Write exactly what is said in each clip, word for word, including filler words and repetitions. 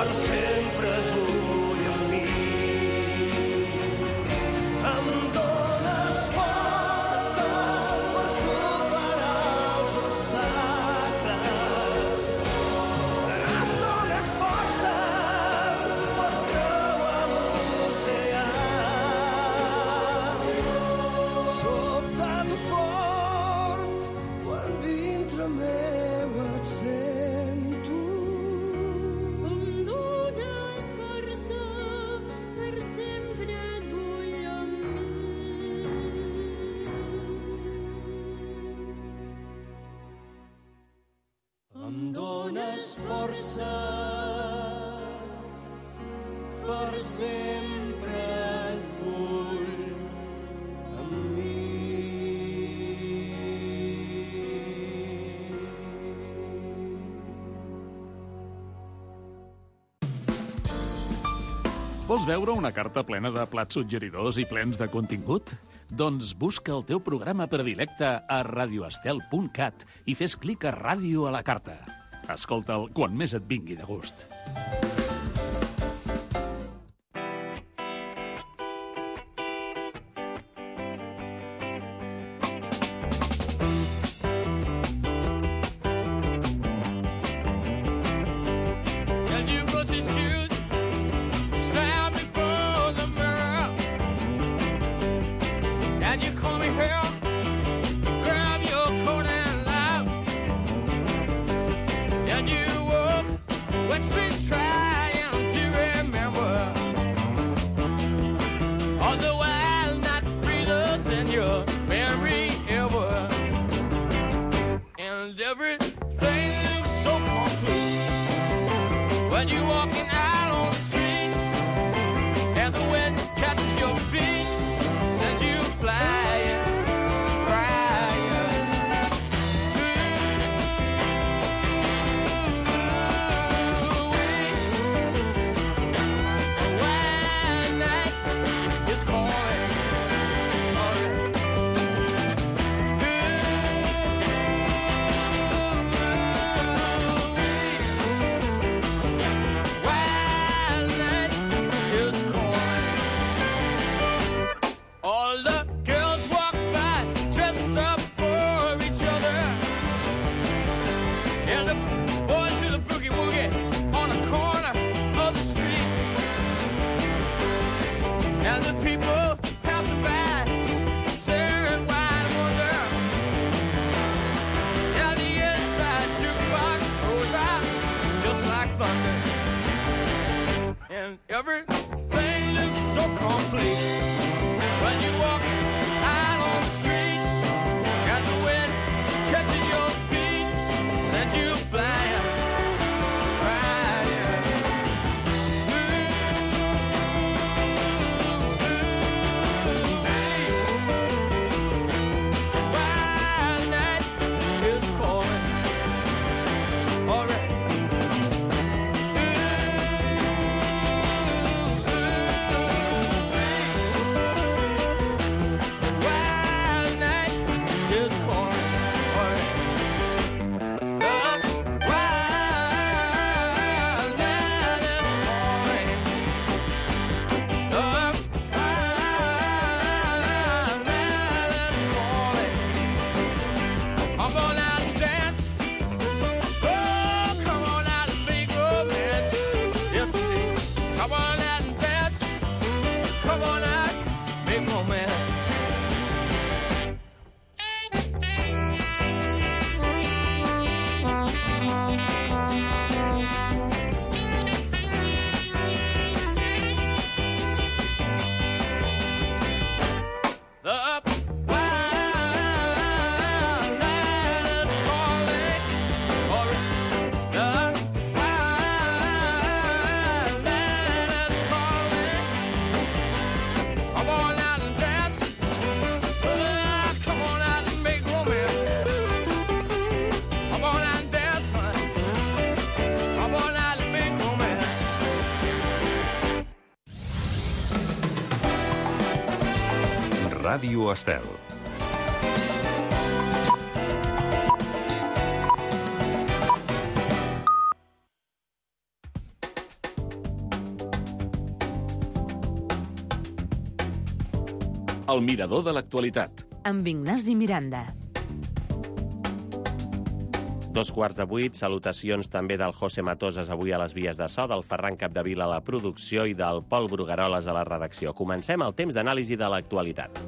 per sempre et vull amb mi. Em dones força per superar els obstacles. Em dones força per creuar l'oceà. Soc tan fort quan dintre meu et sento. Em dones força, per sempre et vull amb mi. Em dones força, per sempre et vull amb mi. Vols veure una carta plena de plats suggeridors i plens de contingut? Doncs busca el teu programa predilecte a radioestel punt cat i fes clic a Ràdio a la carta. Escolta'l quan més et vingui de gust. And you put your shoes, stand before the mirror, and you comb your hair, grab your coat and laugh, and you walk West Street's trying to remember all the wild night breezes in your memory ever, and everything looks so complete when you're walking out on the street, and the wind catches your feet, sends you flying, crying. Ooh, wild night is calling. All right. Wild night is calling. All the girls walk by dressed up for each other, and the boys do the boogie woogie on the corner of the street, and the people passing by stare in wide wonder, and the inside jukebox goes out just like thunder, and everything looks so complete when you walk out on the street, and the wind catches your feet, sends you flying, crying. Ooh, ooh, wild night is calling. All right. Ooh, ooh, wild night is calling. All right. The wild night is calling. The wild night is calling. Come on out and dance. Oh, come on out and make romance. Yes, indeed. Come on out and dance. Come on out, make romance. The wild night is calling. All right. The wild night is calling. Come on out and dance. Ah, come on out and make romance. Come on out and dance, honey. Come on out and make romance. Ràdio Estel. El mirador de l'actualitat. Amb Ignasi Miranda. Dos quarts de vuit, salutacions també del José Matosas avui a les vies de so, del Ferran Capdevila a la producció i del Pol Brugueroles a la redacció. Comencem el temps d'anàlisi de l'actualitat.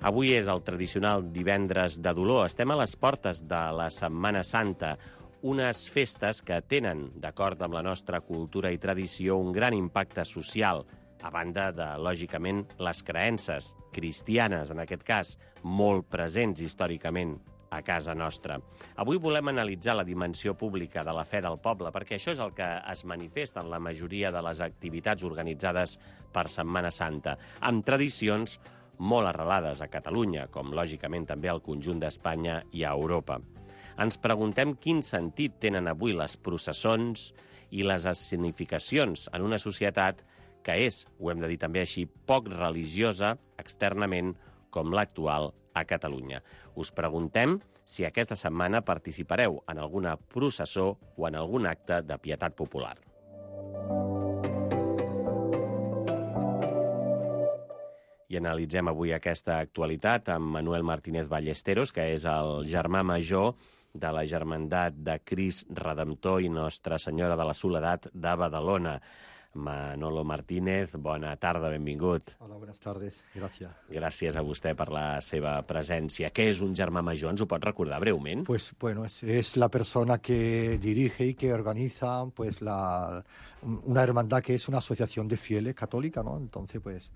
Avui és el tradicional divendres de dolor. Estem a les portes de la Setmana Santa, unes festes que tenen, d'acord amb la nostra cultura i tradició, un gran impacte social, a banda de, lògicament, les creences cristianes, en aquest cas, molt presents històricament a casa nostra. Avui volem analitzar la dimensió pública de la fe del poble, perquè això és el que es manifesta en la majoria de les activitats organitzades per Setmana Santa, amb tradicions molt arrelades a Catalunya, com lògicament també al conjunt d'Espanya i a Europa. Ens preguntem quin sentit tenen avui les processons i les escenificacions en una societat que és, ho hem de dir també així, poc religiosa externament com l'actual a Catalunya. Us preguntem si aquesta setmana participareu en alguna processó o en algun acte de pietat popular. I analitzem avui aquesta actualitat amb Manuel Martínez Ballesteros, que és el germà major de la Germandat de Crist Redemptor i Nostra Senyora de la Soledat de Badalona. Manolo Martínez, bona tarda, benvingut. Hola, buenas tardes, gracias. Gràcies a vostè per la seva presència. Què és un germà major? Ens ho pot recordar breument? Pues bueno, es, es la persona que dirige y que organiza pues la una hermandad que es una asociación de fieles católica, ¿no? Entonces, pues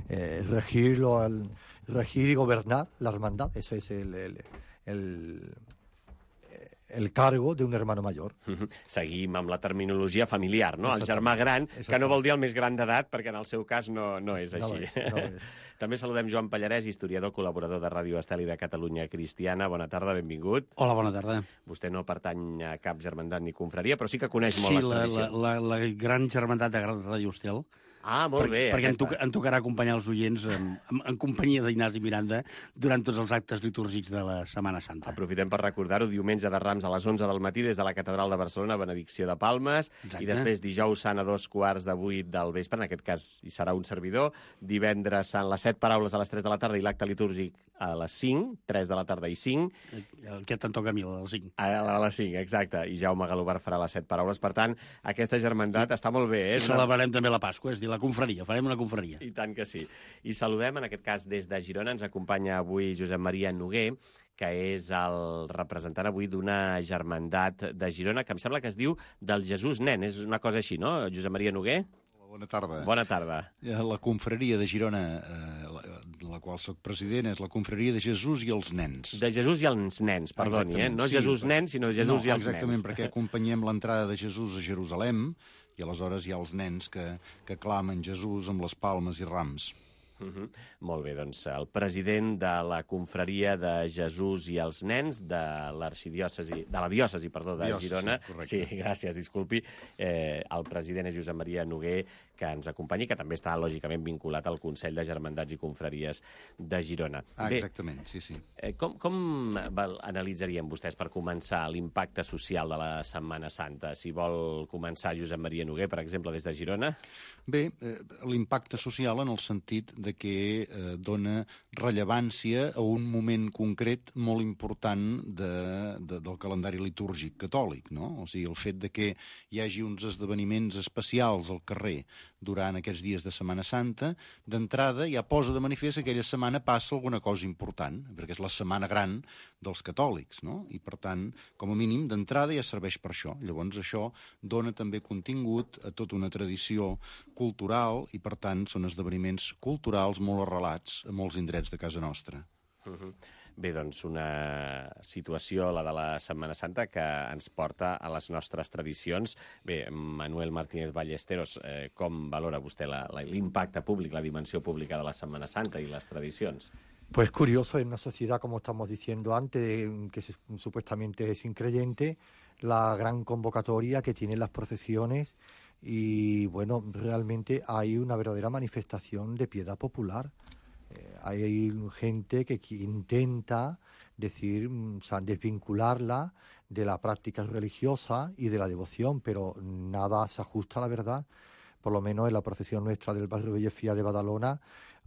eh, regirlo, el, regir y gobernar la hermandad, eso es el, el, el el cargo d'un hermano major. Uh-huh. Seguim amb la terminologia familiar, no? El germà gran, que no vol dir el més gran d'edat, perquè en el seu cas no, no és així. No és, no és. També saludem Joan Pallarès, historiador, col·laborador de Ràdio Estel i de Catalunya Cristiana. Bona tarda, benvingut. Hola, bona tarda. Vostè no pertany a cap germandat ni confraria, però sí que coneix sí, molt les la, tradicions. Sí, la, la, la gran germandat de Ràdio Estel. Ah, molt per, bé. Perquè aquesta. em, toca, em tocarà acompanyar els oients en, en, en companyia d'Ignasi Miranda durant tots els actes litúrgics de la Setmana Santa. Aprofitem per recordar-ho, diumenge de Rams a les onze del matí des de la Catedral de Barcelona, benedicció de Palmes, Exacte. I després dijous sant a dos quarts de vuit del vespre, en aquest cas hi serà un servidor, divendres sant les set paraules a les tres de la tarda i l'acte litúrgic a les cinc, tres de la tarda i cinc. El que te'n toca a mi, a les cinc. A, a les cinc, exacte. I Jaume Galobar farà les set paraules. Per tant, aquesta germandat I, està molt bé. Eh? I celebrarem també la Pasqua, és a dir, la confraria, farem una confraria. I tant que sí. I saludem, en aquest cas, des de Girona, ens acompanya avui Josep Maria Noguer, que és el representant avui d'una germandat de Girona, que em sembla que es diu del Jesús Nen. És una cosa així, no, Josep Maria Noguer? Bona tarda. Bona tarda. La confraria de Girona, eh, la, de la qual soc president, és la confraria de Jesús i els nens. De Jesús i els nens, perdoni, eh? No sí, Jesús nen, sinó Jesús no, i els exactament, nens. Exactament, perquè acompanyem l'entrada de Jesús a Jerusalem i aleshores hi ha els nens que, que clamen Jesús amb les palmes i rams. Uh -huh. Molt bé, doncs el president de la confraria de Jesús i els nens de l'arxidiòcesi, de la diòcesi, perdó, de diòcesi, Girona. Sí, gràcies, disculpi. Eh, el president és Josep Maria Noguer, que ens acompanyi, que també està lògicament vinculat al Consell de Germandats i Confraries de Girona. Ah, bé, exactament, sí, sí. Eh, com com val, analitzarien vostès per començar l'impacte social de la Setmana Santa? Si vol començar Josep Maria Noguer, per exemple, des de Girona. Bé, eh, l'impacte social en el sentit de que eh, dona rellevància a un moment concret molt important de, de, del calendari litúrgic catòlic, no? O sigui, el fet de que hi hagi uns esdeveniments especials al carrer durant aquests dies de Setmana Santa, d'entrada ja posa de manifest que aquella setmana passa alguna cosa important, perquè és la setmana gran dels catòlics, no? I per tant, com a mínim, d'entrada ja serveix per això. Llavors això dona també contingut a tota una tradició cultural i per tant són esdeveniments culturals molt arrelats a molts indrets de casa nostra. Uh-huh. Bé, doncs una situació, la de la Setmana Santa, que ens porta a les nostres tradicions. Bé, Manuel Martínez Ballesteros, eh, com valora vostè l'impacte públic, la dimensió pública de la Setmana Santa i les tradicions? Pues curioso, en una sociedad, como estamos diciendo antes, que se, supuestamente es increyente, la gran convocatoria que tienen las procesiones y, bueno, realmente hay una verdadera manifestación de piedad popular. Eh, hay gente que, que intenta decir, o sea, desvincularla de la práctica religiosa y de la devoción, pero nada se ajusta a la verdad, por lo menos en la procesión nuestra del barrio Bellefía de Badalona,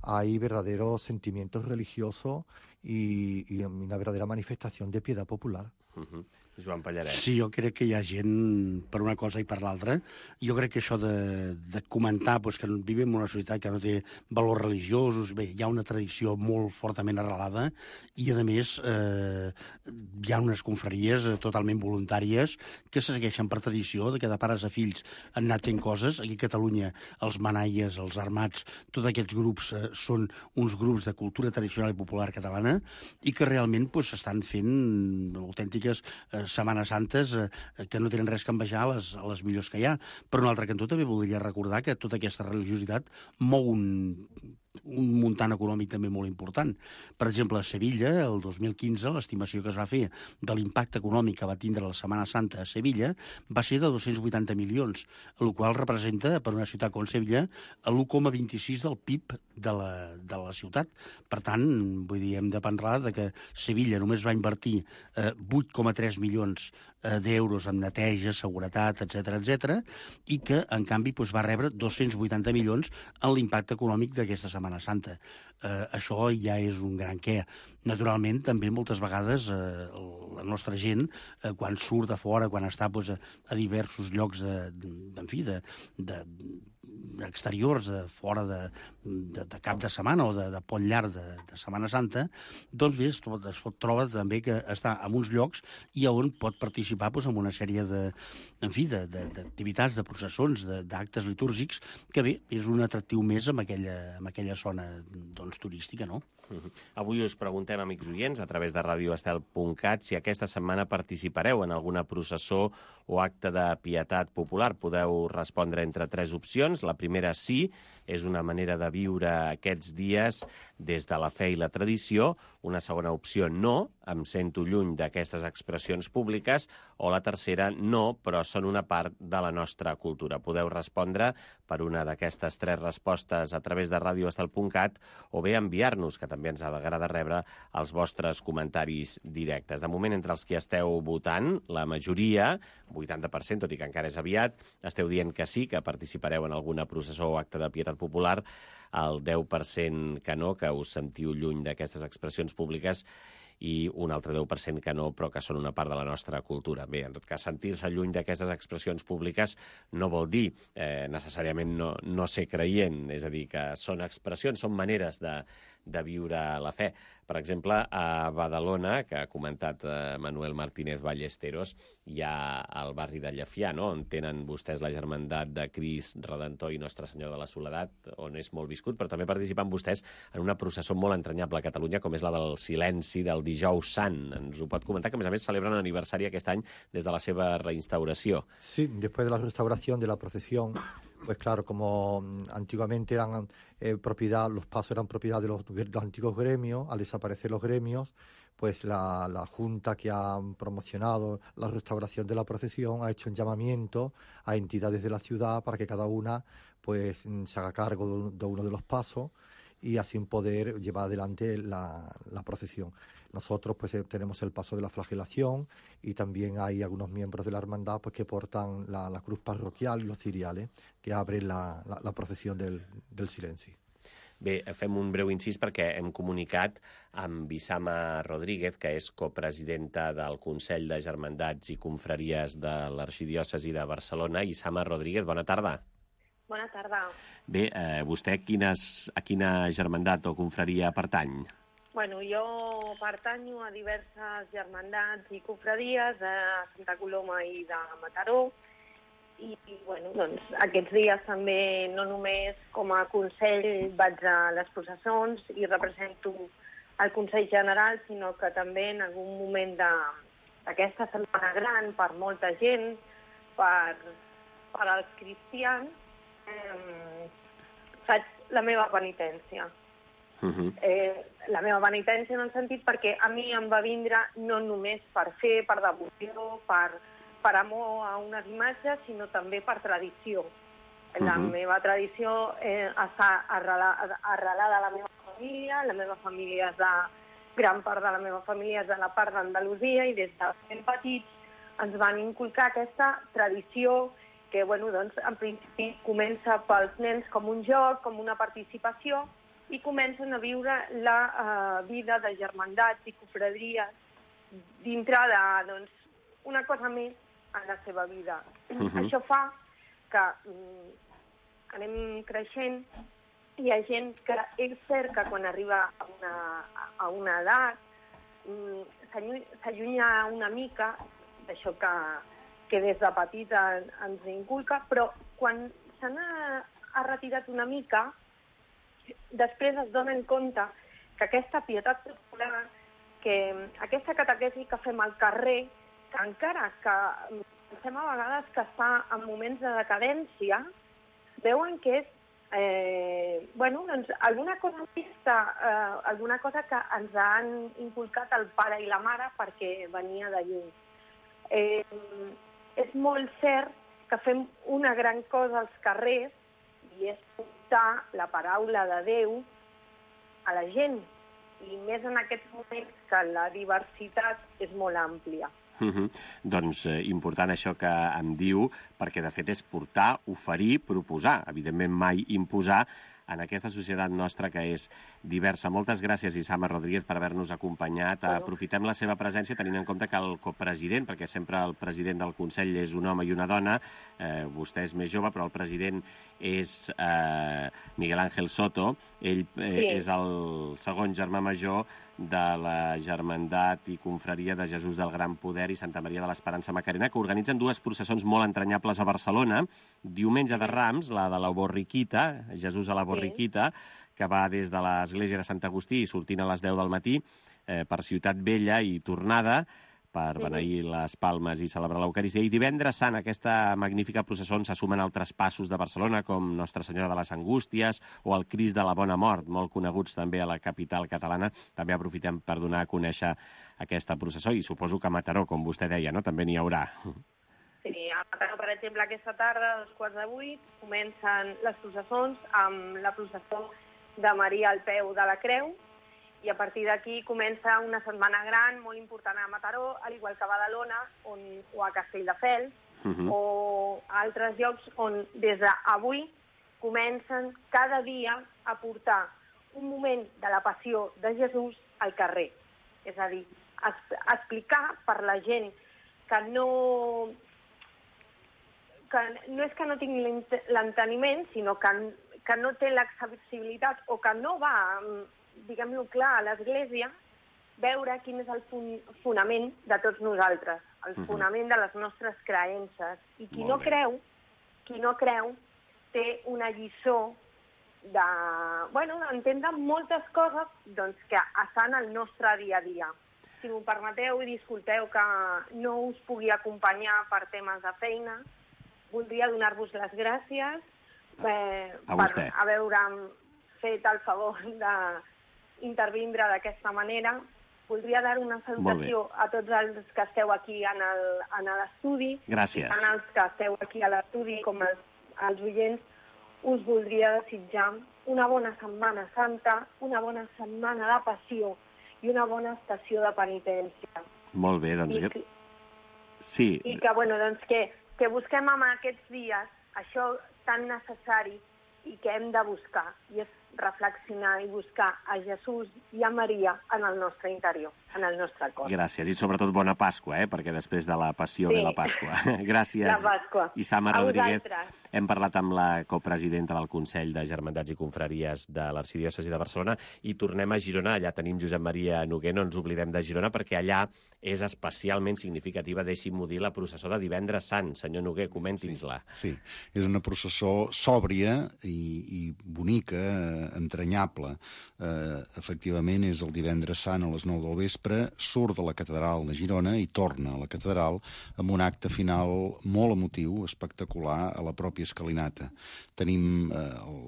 hay verdaderos sentimientos religiosos y, y una verdadera manifestación de piedad popular. Uh-huh. Joan Pallaret. Sí, jo crec que hi ha gent per una cosa i per l'altra. Jo crec que això de, de comentar pues, que vivim en una societat que no té valors religiosos, bé, hi ha una tradició molt fortament arrelada i, a més, eh, hi ha unes confraries eh, totalment voluntàries que se segueixen per tradició, de que de pares a fills han anat fent coses. Aquí a Catalunya els manaies, els armats, tots aquests grups eh, són uns grups de cultura tradicional i popular catalana i que realment pues, estan fent autèntiques eh, Setmanes Santes eh, que no tenen res que envejar a les, a les millors que hi ha. Per un altre cantó també voldria recordar que tota aquesta religiositat mou un, un muntant econòmic també molt important. Per exemple, a Sevilla, el dos mil quinze, l'estimació que es va fer de l'impacte econòmic que va tindre la Setmana Santa a Sevilla va ser de dos-cents vuitanta milions, el qual representa, per una ciutat com Sevilla, l'u coma vint-i-sis del P I B de la, de la ciutat. Per tant, vull dir, hem de parlar de que Sevilla només va invertir eh, vuit coma tres milions eh, d'euros en neteja, seguretat, etcètera, etcètera, i que, en canvi, doncs, va rebre dos-cents vuitanta milions en l'impacte econòmic d'aquesta Setmana Santa. Eh, això ja és un gran què. Naturalment, també moltes vegades eh, la nostra gent, eh, quan surt de fora, quan està doncs, a, a diversos llocs de, de, en fi, de, de, exteriors, de fora de, de, de cap de setmana o de, de pont llarg de, de Setmana Santa, doncs bé, es, es troba també que està en uns llocs i on pot participar doncs, en una sèrie de, en fi, d'activitats, de, de, de processons, d'actes litúrgics, que bé, és un atractiu més en aquella, en aquella zona doncs, turística, no? Uh-huh. Avui us preguntem, amics oients, a través de radio estel punt cat, si aquesta setmana participareu en alguna processó o acte de pietat popular. Podeu respondre entre tres opcions. La primera, sí, és una manera de viure aquests dies des de la fe i la tradició. Una segona opció, no, em sento lluny d'aquestes expressions públiques. O la tercera, no, però són una part de la nostra cultura. Podeu respondre per una d'aquestes tres respostes a través de radio estel punt cat o bé enviar-nos, que també ens agrada rebre els vostres comentaris directes. De moment, entre els que esteu votant, la majoria, vuitanta per cent, tot i que encara és aviat, esteu dient que sí, que participareu en alguna processó o acte de pietat popular, el deu per cent que no, que us sentiu lluny d'aquestes expressions públiques, i un altre deu per cent que no, però que són una part de la nostra cultura. Bé, en tot cas, sentir-se lluny d'aquestes expressions públiques no vol dir eh, necessàriament no, no ser creient, és a dir, que són expressions, són maneres de, de viure la fe. Per exemple, a Badalona, que ha comentat eh, Manuel Martínez Ballesteros, hi ha al barri de Llefià, no?, on tenen vostès la germandat de Crist Redentor i Nostra Senyora de la Soledat, on és molt viscut, però també participen vostès en una processó molt entranyable a Catalunya, com és la del silenci del Dijous Sant. Ens ho pot comentar, que a més a més celebren l'aniversari aquest any des de la seva reinstauració. Sí, després de la restauración de la procesión, pues claro, como antiguamente eran eh, propiedad, los pasos eran propiedad de los, de los antiguos gremios, al desaparecer los gremios, pues la, la Junta que ha promocionado la restauración de la procesión ha hecho un llamamiento a entidades de la ciudad para que cada una pues se haga cargo de, de uno de los pasos y así poder llevar adelante la, la procesión. Nosotros pues tenemos el paso de la flagelación y también hay algunos miembros de la hermandad pues que portan la, la cruz parroquial y los ciriales que abren la, la, la procesión del, del silenci. Bé, fem un breu incís perquè hem comunicat amb Isama Rodríguez, que és copresidenta del Consell de Germandats i Confraries de l'Arxidiòcesi de Barcelona. Isama Rodríguez, bona tarda. Bona tarda. Bé, eh, vostè quines, a quina germandat o confraria pertany? Bueno, jo pertanyo a diverses germandats i confraries de Santa Coloma i de Mataró i, i bueno, doncs, aquests dies també no només com a Consell vaig a les processons i represento el Consell General, sinó que també en algun moment d'aquesta setmana gran per molta gent, per, per als cristians, eh, faig la meva penitència. Uh-huh. Eh, la meva penitència en el sentit perquè a mi em va vindre no només per fer, per devoció, per, per amor a unes imatges, sinó també per tradició. Uh-huh. La meva tradició eh, està arrelada, arrelada a la meva família, la meva família és de, gran part de la meva família és de la part d'Andalusia i des de ben petits ens van inculcar aquesta tradició que bueno, doncs, en principi comença pels nens com un joc, com una participació, i comencen a viure la uh, vida de germandats i cofradries dintre de, doncs, una cosa més en la seva vida. Uh-huh. Això fa que um, anem creixent. Hi ha gent que és cert que quan arriba a una, a una edat um, s'allunya una mica d'això que, que des de petita ens inculca, però quan se n'ha ha retirat una mica, després es donen compte que aquesta pietat popular, que aquesta catequesi que fem al carrer, que encara que pensem a vegades que està en moments de decadència, veuen que és eh, bueno, doncs alguna cosa vista, eh, alguna cosa que ens han inculcat el pare i la mare perquè venia de lluny. Eh, és molt cert que fem una gran cosa als carrers i és portar la paraula de Déu a la gent, i més en aquests moments que la diversitat és molt àmplia. Uh -huh. Doncs eh, important això que em diu, perquè de fet és portar, oferir, proposar, evidentment mai imposar, en aquesta societat nostra que és diversa. Moltes gràcies, Isama Rodríguez, per haver-nos acompanyat. Bueno. Aprofitem la seva presència tenint en compte que el copresident, perquè sempre el president del Consell és un home i una dona, eh, vostè és més jove, però el president és eh, Miguel Ángel Soto. Ell eh, sí. és el segon germà major de la Germandat i Confraria de Jesús del Gran Poder i Santa Maria de l'Esperança Macarena, que organitzen dues processons molt entranyables a Barcelona. Diumenge de Rams, la de la Borriquita, Jesús a la Borriquita, que va des de l'església de Sant Agustí, sortint a les deu del matí, eh, per Ciutat Vella i tornada, per beneir les palmes i celebrar l'Eucaristia. I divendres sant, aquesta magnífica processó se sumen altres passos de Barcelona, com Nostra Senyora de les Angústies o el Crist de la Bona Mort, molt coneguts també a la capital catalana. També aprofitem per donar a conèixer aquesta processó, i suposo que a Mataró, com vostè deia, no? També n'hi haurà. Sí, a Mataró, per exemple, aquesta tarda, a dos quarts de vuit, comencen les processons amb la processó de Maria al peu de la Creu, i a partir d'aquí comença una setmana gran, molt important a Mataró, al igual que a Badalona on, o a Castelldefels, uh-huh. o a altres llocs on des d'avui comencen cada dia a portar un moment de la passió de Jesús al carrer. És a dir, es, explicar per la gent que no, que no és que no tingui l'enteniment, sinó que, que no té l'accessibilitat o que no va, diguem-ho clar, a l'Església, veure quin és el fun fonament de tots nosaltres, el uh-huh. fonament de les nostres creences. I qui no creu, qui no creu, té una lliçó de, bueno, d'entendre moltes coses doncs, que estan al nostre dia a dia. Si m'ho permeteu, i disculpeu que no us pugui acompanyar per temes de feina, voldria donar-vos les gràcies eh, per haver-me fet el favor d'intervindre d'aquesta manera. Voldria dar una salutació a tots els que esteu aquí en l'estudi. Gràcies. Tant els que esteu aquí a l'estudi com els, els oients, us voldria desitjar una bona Setmana Santa, una bona setmana de passió i una bona estació de penitència. Molt bé, doncs... I que, sí. I que, bueno, doncs que, que busquem en aquests dies això tan necessari i que hem de buscar, i és reflexionar i buscar a Jesús i a Maria en el nostre interior, en el nostre cor. Gràcies, i sobretot bona Pasqua, eh? Perquè després de la passió sí. ve la Pasqua. Gràcies, la Pasqua. Isama Rodríguez. Hem parlat amb la copresidenta del Consell de Germandats i Confraries de l'Arxidiòcesi de Barcelona i tornem a Girona. Allà tenim Josep Maria Noguer, no ens oblidem de Girona, perquè allà és especialment significativa, deixi'm-ho dir, la processó de Divendres Sant. Senyor Noguer, comenti'ns-la. Sí, sí, és una processó sòbria i, i bonica, entranyable. Eh, efectivament, és el Divendres Sant a les nou del vespre, surt de la catedral de Girona i torna a la catedral amb un acte final molt emotiu, espectacular, a la pròpia escalinata. Tenim eh,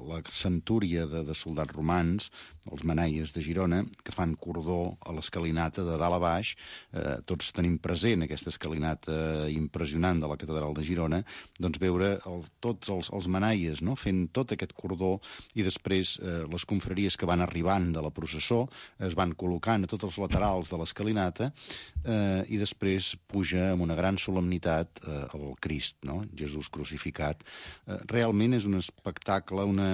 la centúria de, de soldats romans, els manaies de Girona, que fan cordó a l'escalinata de dalt a baix. Eh, tots tenim present aquesta escalinata impressionant de la catedral de Girona, doncs veure el, tots els, els manaies, no?, fent tot aquest cordó i després eh, eh, les confraries que van arribant de la processó es van col·locant a tots els laterals de l'escalinata eh, i després puja amb una gran solemnitat eh, el Crist, no? Jesús crucificat. Eh, realment és un espectacle, una,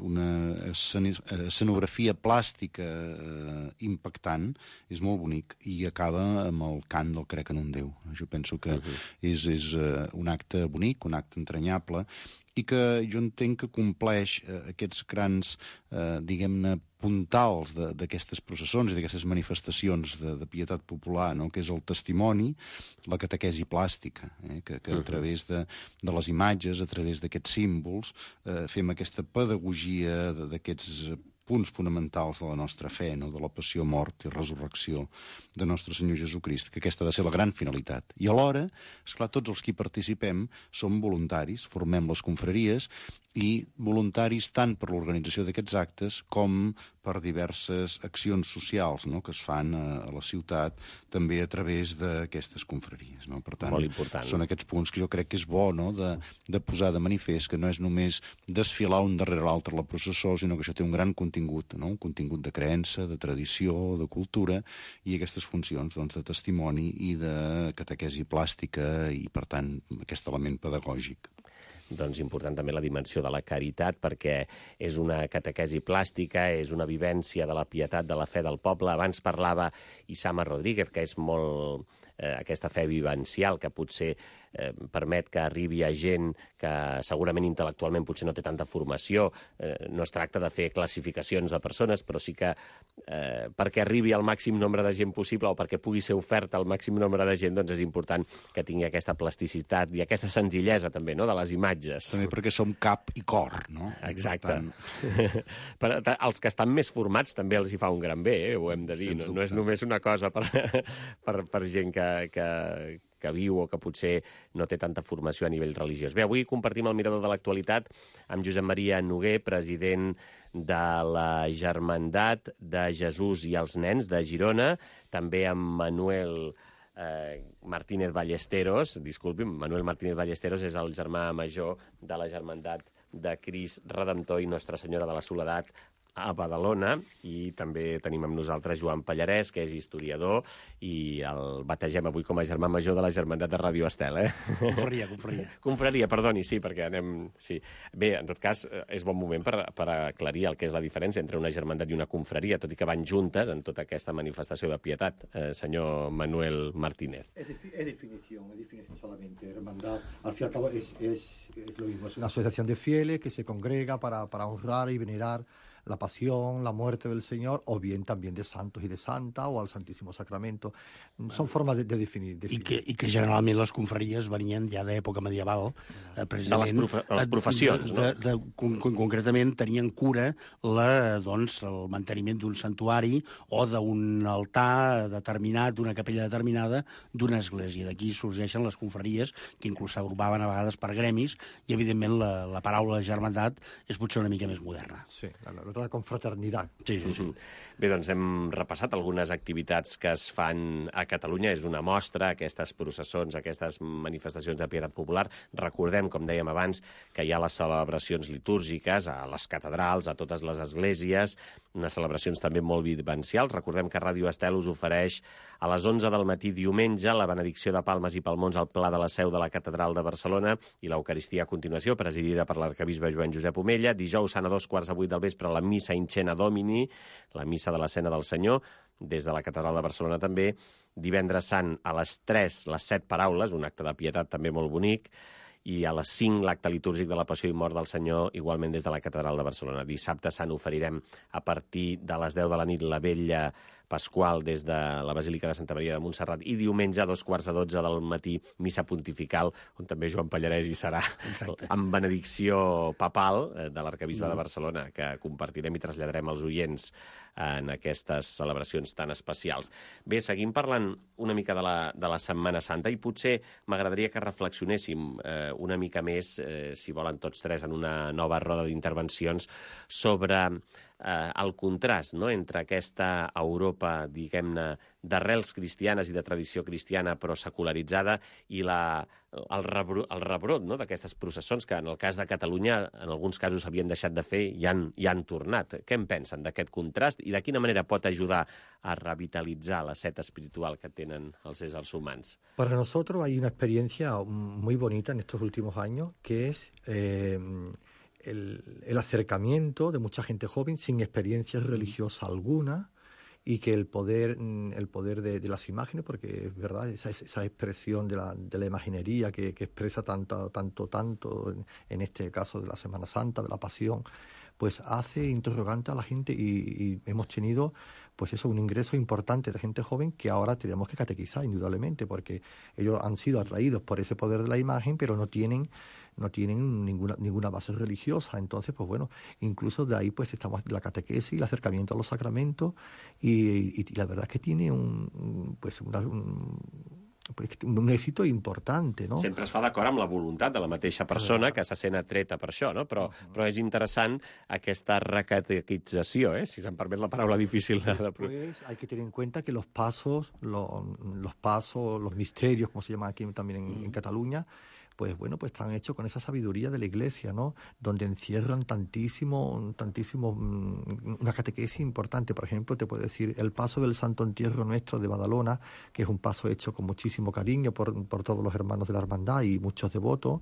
una escenografia plàstica eh, impactant, és molt bonic, i acaba amb el cant del Crec en un Déu. Jo penso que uh -huh. és, és uh, un acte bonic, un acte entranyable, i que jo entenc que compleix uh, aquests grans, uh, diguem-ne, puntals d'aquestes processons i d'aquestes manifestacions de, de pietat popular, no? Que és el testimoni, la catequesi plàstica, eh? que, que a través de, de les imatges, a través d'aquests símbols, eh, fem aquesta pedagogia d'aquests punts fonamentals de la nostra fe, no? De la passió, mort i resurrecció de nostre Senyor Jesucrist, que aquesta ha de ser la gran finalitat. I alhora, esclar, tots els que hi participem som voluntaris, formem les confraries, i voluntaris tant per l'organització d'aquests actes com per diverses accions socials, no? Que es fan a, a la ciutat també a través d'aquestes confraries, no? Per tant, molt important, són aquests punts que jo crec que és bo, no? de, de posar de manifest que no és només desfilar un darrere l'altre la processó, sinó que això té un gran contingut, no? Un contingut de creença, de tradició, de cultura, i aquestes funcions, doncs, de testimoni i de catequesi plàstica i, per tant, aquest element pedagògic. Doncs important també la dimensió de la caritat, perquè és una catequesi plàstica, és una vivència de la pietat, de la fe del poble. Abans parlava Isama Rodríguez, que és molt eh, aquesta fe vivencial, que potser eh, permet que arribi a gent que segurament intel·lectualment potser no té tanta formació. Eh, no es tracta de fer classificacions de persones, però sí que eh, perquè arribi al màxim nombre de gent possible o perquè pugui ser oferta al màxim nombre de gent, doncs és important que tingui aquesta plasticitat i aquesta senzillesa també, no?, de les imatges. També perquè som cap i cor, no? Exacte. Tant... per, els que estan més formats també els hi fa un gran bé, eh? Ho hem de dir. No, no és només una cosa per, per, per gent que, que, que viu o que potser no té tanta formació a nivell religiós. Bé, avui compartim el mirador de l'actualitat amb Josep Maria Noguer, president de la Germandat de Jesús i els Nens de Girona, també amb Manuel eh, Martínez Ballesteros, disculpi, Manuel Martínez Ballesteros és el germà major de la Germandat de Crist Redemptor i Nostra Senyora de la Soledat a Badalona, i també tenim amb nosaltres Joan Pallarès, que és historiador, i el bategem avui com a germà major de la Germandat de Ràdio Estel, eh? Confraria, confraria. Confraria, perdoni, sí, perquè anem... Sí. Bé, en tot cas, és bon moment per, per aclarir el que és la diferència entre una germandat i una confraria, tot i que van juntes en tota aquesta manifestació de pietat. Eh, senyor Manuel Martínez. Es, es definición, es definición solamente. Hermandad, al fin y al cabo, es, es, es lo mismo. Es una asociación de fieles que se congrega para, para honrar y venerar la pasión, la muerte del Señor, o bien también de santos y de santa, o al Santísimo Sacramento. Son formas de, de definir. definir. I, que, I que generalment les confraries venien ja d'època medieval, eh, precisament... De les, profe les professions, de, de, de, con, con, concretament tenien cura la, doncs, el manteniment d'un santuari o d'un altar determinat, d'una capella determinada d'una església. D'aquí sorgeixen les confraries, que inclús s'agrupaven a vegades per gremis, i evidentment la, la paraula germandat és potser una mica més moderna. Sí, la, la, la confraternitat. Sí, sí, sí. Bé, doncs hem repassat algunes activitats que es fan a Catalunya. És una mostra, aquestes processons, aquestes manifestacions de pietat popular. Recordem, com dèiem abans, que hi ha les celebracions litúrgiques a les catedrals, a totes les esglésies, unes celebracions també molt vivencials. Recordem que Ràdio Estel us ofereix a les onze del matí diumenge la benedicció de palmes i palmons al Pla de la Seu de la Catedral de Barcelona i l'Eucaristia a continuació, presidida per l'arcabisbe Joan Josep Omella. Dijous sant a dos quarts de vuit del vespre la missa in cena Domini, la missa de la Cena del Senyor, des de la Catedral de Barcelona també. Divendres sant a les tres, les set paraules, un acte de pietat també molt bonic, i a les cinc l'acte litúrgic de la Passió i Mort del Senyor, igualment des de la Catedral de Barcelona. Dissabte sant oferirem a partir de les deu de la nit la Vetlla Pasqual des de la Basílica de Santa Maria de Montserrat, i diumenge a dos quarts de dotze del matí missa pontifical, on també Joan Pallarès hi serà. Exacte. Amb benedicció papal de l'arcabisbe mm. de Barcelona, que compartirem i traslladarem als oients en aquestes celebracions tan especials. Bé, seguim parlant una mica de la, de la Setmana Santa, i potser m'agradaria que reflexionéssim eh, una mica més, eh, si volen tots tres, en una nova roda d'intervencions sobre eh, el contrast, no?, entre aquesta Europa, diguem-ne, d'arrels cristianes i de tradició cristiana però secularitzada i la, el, rebro, el rebrot, no?, d'aquestes processons que en el cas de Catalunya en alguns casos havien deixat de fer i han, i han tornat. Què en pensen d'aquest contrast i de quina manera pot ajudar a revitalitzar la set espiritual que tenen els éssers humans? Para nosotros hay una experiencia muy bonita en estos últimos años que es eh, el, el acercamiento de mucha gente joven sin experiencia religiosa alguna, y que el poder el poder de, de las imágenes, porque es verdad, esa, esa expresión de la, de la imaginería que, que expresa tanto, tanto, tanto, en, en este caso de la Semana Santa, de la Pasión, pues hace interrogante a la gente y, y hemos tenido pues eso, un ingreso importante de gente joven que ahora tenemos que catequizar indudablemente, porque ellos han sido atraídos por ese poder de la imagen, pero no tienen no tienen ninguna ninguna base religiosa. Entonces, pues bueno, incluso de ahí pues estamos la catequesis, el acercamiento a los sacramentos y, y, y la verdad es que tiene un pues una, un, un èxit important, no? Sempre es fa d'acord amb la voluntat de la mateixa persona que se sent atreta per això, no? Però, uh-huh. però és interessant aquesta recatequització, eh? Si se'm permet la paraula difícil de... Después hay que tener en cuenta que los pasos, los, los pasos, los misterios, como se llama aquí también en, uh-huh. en Cataluña, pues bueno, pues están hechos con esa sabiduría de la Iglesia, ¿no? Donde encierran tantísimo, tantísimo, una catequesis importante. Por ejemplo, te puedo decir el paso del Santo Entierro Nuestro de Badalona, que es un paso hecho con muchísimo cariño por, por todos los hermanos de la hermandad y muchos devotos.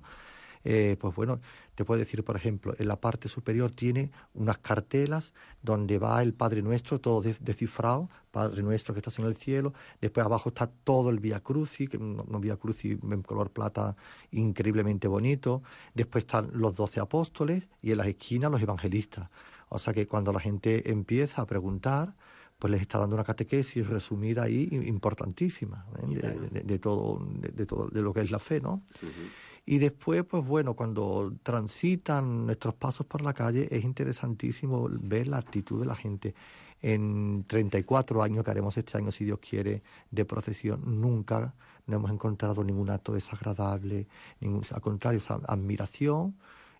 Eh, pues bueno, te puedo decir, por ejemplo, en la parte superior tiene unas cartelas donde va el Padre Nuestro, todo descifrado, Padre Nuestro que estás en el cielo. Después abajo está todo el Vía Crucis, que un, un Vía Crucis en color plata increíblemente bonito. Después están los doce apóstoles y en las esquinas los evangelistas. O sea que cuando la gente empieza a preguntar, pues les está dando una catequesis resumida ahí importantísima, ¿eh? de, de, de todo, de, de todo, de lo que es la fe, ¿no? Uh-huh. Y después, pues bueno, cuando transitan nuestros pasos por la calle, es interesantísimo ver la actitud de la gente. En treinta y cuatro años que haremos este año, si Dios quiere, de procesión, nunca no hemos encontrado ningún acto desagradable, ningún, al contrario, esa admiración.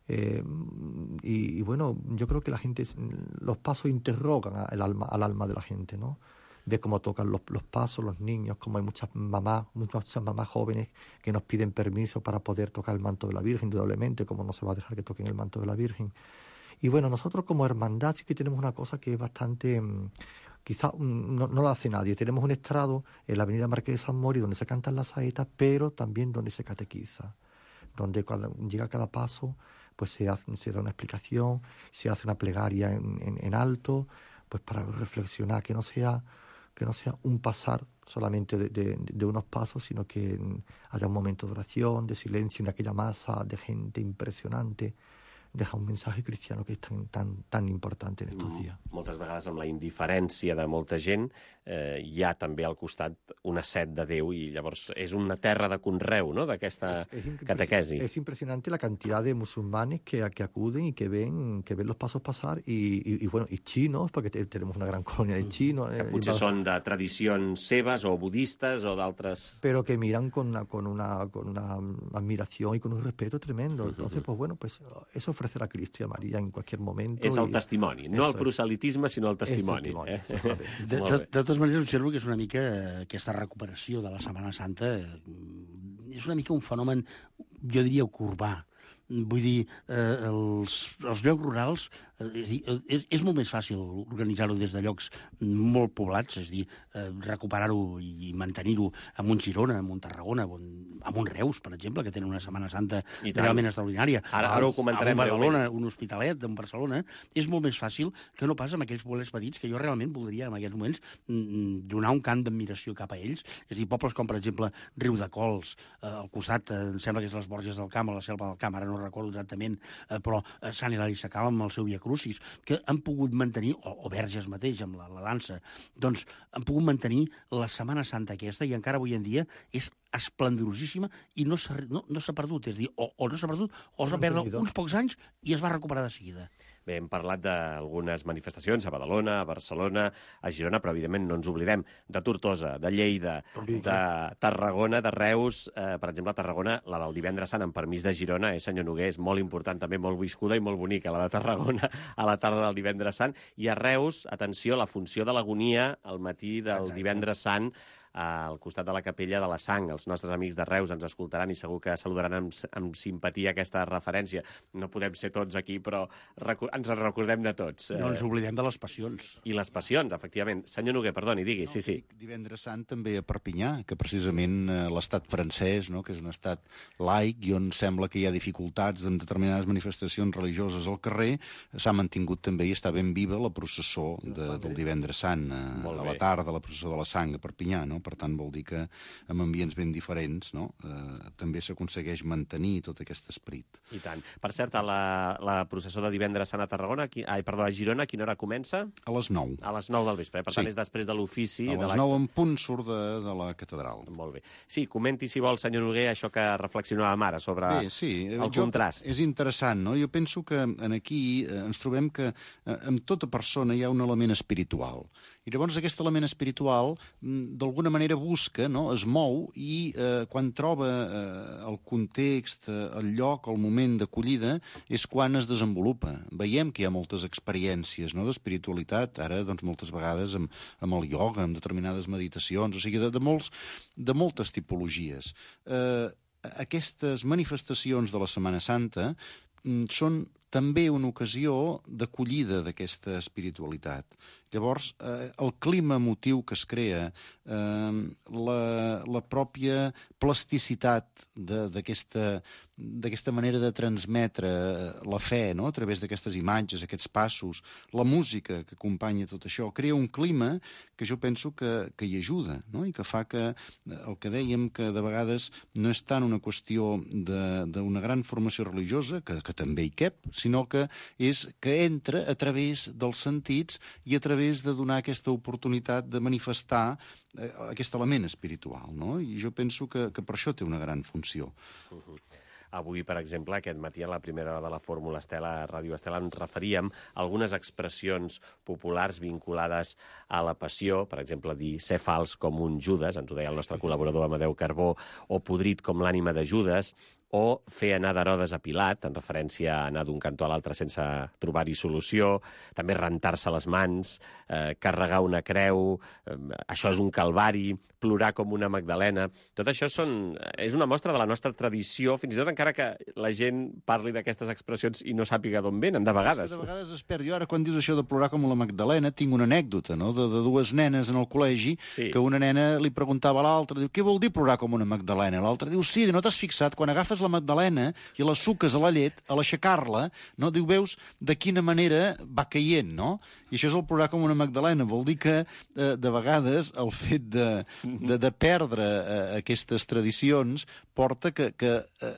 Eh, y, y bueno, yo creo que la gente, los pasos interrogan al alma, al alma de la gente, ¿no? Ve cómo tocan los, los pasos los niños, como hay muchas mamás, muchas mamás jóvenes que nos piden permiso para poder tocar el manto de la Virgen, indudablemente, como no se va a dejar que toquen el manto de la Virgen. Y bueno, nosotros como hermandad sí que tenemos una cosa que es bastante, quizá no, no lo hace nadie. Tenemos un estrado en la avenida Marqués de San Mori donde se cantan las saetas, pero también donde se catequiza, donde cuando llega cada paso pues se, hace, se da una explicación, se hace una plegaria en, en, en alto, pues para reflexionar, que no sea... que no sea un pasar solamente de, de, de unos pasos, sino que haya un momento de oración, de silencio, en aquella masa de gente impresionante. Deja un mensaje cristiano que és tan, tan, tan important en estos dies. Moltes vegades amb la indiferència de molta gent eh, hi ha també al costat una set de Déu i llavors és una terra de conreu, ¿no?, d'aquesta catequesi. Es impresionante la cantidad de musulmanes que, que acuden y que ven, que ven los pasos pasar y, y, y bueno, y chinos, porque tenemos una gran colonia de chinos. Que potser eh, són de tradicions seves o budistes o d'altres... Pero que miran con una, con, una, con una admiración y con un respeto tremendo. Entonces, pues bueno, pues eso ofrecer a Cristo y a María en cualquier momento. És el testimoni, no el proselitisme, sinó el testimoni. El eh? de, de, de totes maneres, observo que és una mica aquesta recuperació de la Setmana Santa, és una mica un fenomen, jo diria, urbà. Vull dir, eh, els, els llocs rurals, eh, és, és molt més fàcil organitzar-ho des de llocs molt poblats, és a dir, eh, recuperar-ho i mantenir-ho amb un Girona, amb un Tarragona, amb un Reus, per exemple, que tenen una Setmana Santa realment extraordinària. Ara, ara ho comentarem breument. Un Badalona, un Hospitalet, un Barcelona, és molt més fàcil que no pas amb aquells pobles petits que jo realment voldria en aquests moments donar un cant d'admiració cap a ells. És a dir, pobles com, per exemple, Riu de Cols, eh, al costat, eh, em sembla que és les Borges del Camp o la Selva del Camp, ara no recordo exactament, eh, però eh, Sant Hilari Sacalm amb el seu Via Crucis, que han pogut mantenir, o, o Verges mateix amb la, la dansa, doncs han pogut mantenir la Setmana Santa aquesta i encara avui en dia és esplendorosíssima i no s'ha no, no perdut, és a dir, o, o no s'ha perdut o es va perdre uns pocs anys i es va recuperar de seguida. Bé, hem parlat d'algunes manifestacions a Badalona, a Barcelona, a Girona, però evidentment no ens oblidem de Tortosa, de Lleida, de Tarragona, de Reus. Eh, per exemple, a Tarragona, la del divendres sant, amb permís de Girona, eh, senyor Noguer, és molt important, també molt viscuda i molt bonica, la de Tarragona a la tarda del divendres sant. I a Reus, atenció, la funció de l'agonia al matí del Exacte. divendres sant, al costat de la capella de la Sang. Els nostres amics de Reus ens escoltaran i segur que saludaran amb, amb simpatia aquesta referència. No podem ser tots aquí, però ens en recordem de tots. No ens oblidem de les passions. I les passions, efectivament. Senyor Noguer, perdoni, digui, no, sí, sí. Divendres sant també a Perpinyà, que precisament l'estat francès, no, que és un estat laic i on sembla que hi ha dificultats en determinades manifestacions religioses al carrer, s'ha mantingut també i està ben viva la processó de, del divendres sant, a, a la tarda, la processó de la Sang a Perpinyà, no? Per tant, vol dir que en ambients ben diferents, no? eh, també s'aconsegueix mantenir tot aquest esperit. I tant. Per cert, a la, la processó de divendres sant a Tarragona, qui, ai, perdó, a Girona, a quina hora comença? A les nou. A les nou del vespre, per sí. tant és després de l'ofici. A les nou en punt surt de, de la catedral. Molt bé. Sí, comenti, si vol, senyor Noguer, això que reflexionàvem ara sobre bé, sí. el jo, contrast. És interessant, no? Jo penso que en aquí eh, ens trobem que eh, en tota persona hi ha un element espiritual. I llavors aquest element espiritual d'alguna manera busca, no? Es mou i eh, quan troba eh, el context, eh, el lloc, el moment d'acollida, és quan es desenvolupa. Veiem que hi ha moltes experiències, no?, d'espiritualitat, ara doncs, moltes vegades amb, amb el ioga, amb determinades meditacions, o sigui, de, de, molts, de moltes tipologies. Eh, aquestes manifestacions de la Setmana Santa són també una ocasió d'acollida d'aquesta espiritualitat. Llavors, eh, el clima emotiu que es crea, eh, la, la pròpia plasticitat d'aquesta d'aquesta manera de transmetre la fe, no?, a través d'aquestes imatges, aquests passos, la música que acompanya tot això, crea un clima que jo penso que, que hi ajuda, no?, i que fa que el que dèiem, que de vegades no és tant una qüestió d'una gran formació religiosa, que, que també hi cap, sinó que és que entra a través dels sentits i a través de donar aquesta oportunitat de manifestar eh, aquest element espiritual, no? I jo penso que, que per això té una gran funció. Uh-huh. Avui, per exemple, aquest matí a la primera hora de la Fórmula Estela, a Ràdio Estela, ens referíem a algunes expressions populars vinculades a la passió, per exemple, dir ser fals com un Judas, ens ho deia el nostre col·laborador Amadeu Carbó, o podrit com l'ànima de Judas, o fer anar d'Herodes a Pilat, en referència a anar d'un cantó a l'altre sense trobar-hi solució, també rentar-se les mans, eh, carregar una creu, eh, això és un calvari, plorar com una Magdalena. Tot això són, és una mostra de la nostra tradició, fins i tot encara que la gent parli d'aquestes expressions i no sàpiga d'on venen, de vegades. És que de vegades es perd. Jo ara, quan dius això de plorar com la Magdalena, tinc una anècdota, no?, de, de dues nenes en el col·legi, sí. que una nena li preguntava a l'altra, diu, què vol dir plorar com una Magdalena? L'altra diu, sí, no t'has fixat, quan agafes la Magdalena i la suques a la llet, a l'aixecar-la, no? Diu, veus de quina manera va caient, no? I això és el plorar com una Magdalena. Vol dir que, eh, de vegades, el fet de, de, de perdre eh, aquestes tradicions porta que, que eh,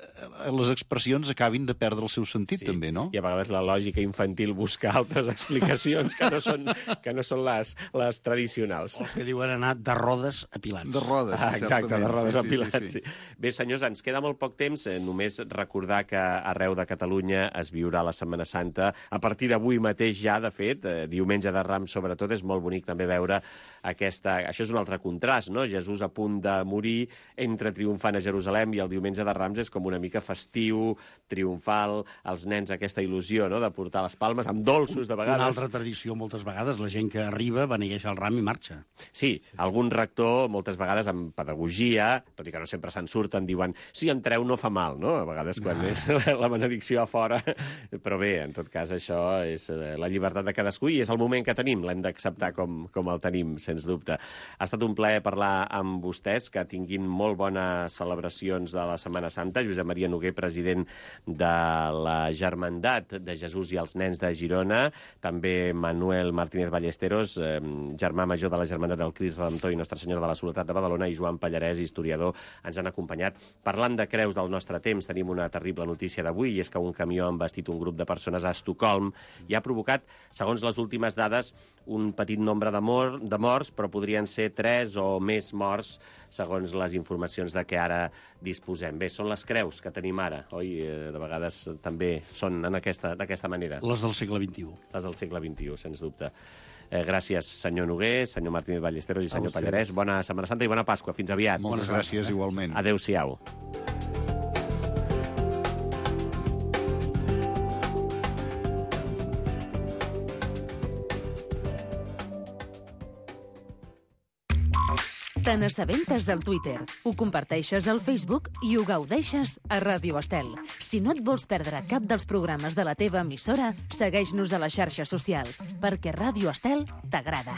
les expressions acabin de perdre el seu sentit, sí. també, no? I a vegades la lògica infantil busca altres explicacions que no són, que no són les, les tradicionals. O els que diuen anar de rodes a pilats. De rodes, ah, exacte, certament. de rodes sí, a pilats, sí, sí. sí. Bé, senyors, ens queda molt poc temps. Eh, només recordar que arreu de Catalunya es viurà la Setmana Santa. A partir d'avui mateix ja, de fet, eh, diumenge de Rams sobretot, és molt bonic també veure aquesta... Això és un altre contrast, no? Jesús a punt de morir, entra triomfant a Jerusalem, i el diumenge de Rams és com una mica festiu, triomfal, els nens aquesta il·lusió, no?, de portar les palmes, amb dolços de vegades. Una altra tradició, moltes vegades, la gent que arriba beneeix el ram i marxa. Sí, sí, algun rector, moltes vegades amb pedagogia, tot i que no sempre se'n surten, diuen, sí, entreu, no fa mal, no?, a vegades quan ah. és la benedicció a fora, però bé, en tot cas, això és la llibertat de cadascú i és el moment que tenim, l'hem d'acceptar com, com el tenim, sens dubte. Ha estat un plaer parlar amb vostès, que tinguin molt bones celebracions de la Setmana Santa. Josep Maria Noguer, president de la Germandat de Jesús i els Nens de Girona, també Manuel Martínez Ballesteros, eh, germà major de la Germandat del Crist Redemptor i Nostra Senyora de la Soledat de Badalona, i Joan Pallarès, historiador, ens han acompanyat parlant de creus del nostre nostre temps tenim una terrible notícia d'avui, i és que un camió ha embestit un grup de persones a Estocolm i ha provocat, segons les últimes dades, un petit nombre de, mor de morts, però podrien ser tres o més morts, segons les informacions de què ara disposem. Bé, són les creus que tenim ara, oi? De vegades també són d'aquesta manera. Les del segle vint-i-u. Les del segle vint-i-u, sens dubte. Eh, gràcies, senyor Noguer, senyor Martínez Ballesteros i senyor Pallarès. Bona Setmana Santa i bona Pasqua. Fins aviat. Moltes gràcies, igualment. Adéu-siau. Te n'assabentes al Twitter, ho comparteixes al Facebook i ho gaudeixes a Ràdio Estel. Si no et vols perdre cap dels programes de la teva emissora, segueix-nos a les xarxes socials, perquè Ràdio Estel t'agrada.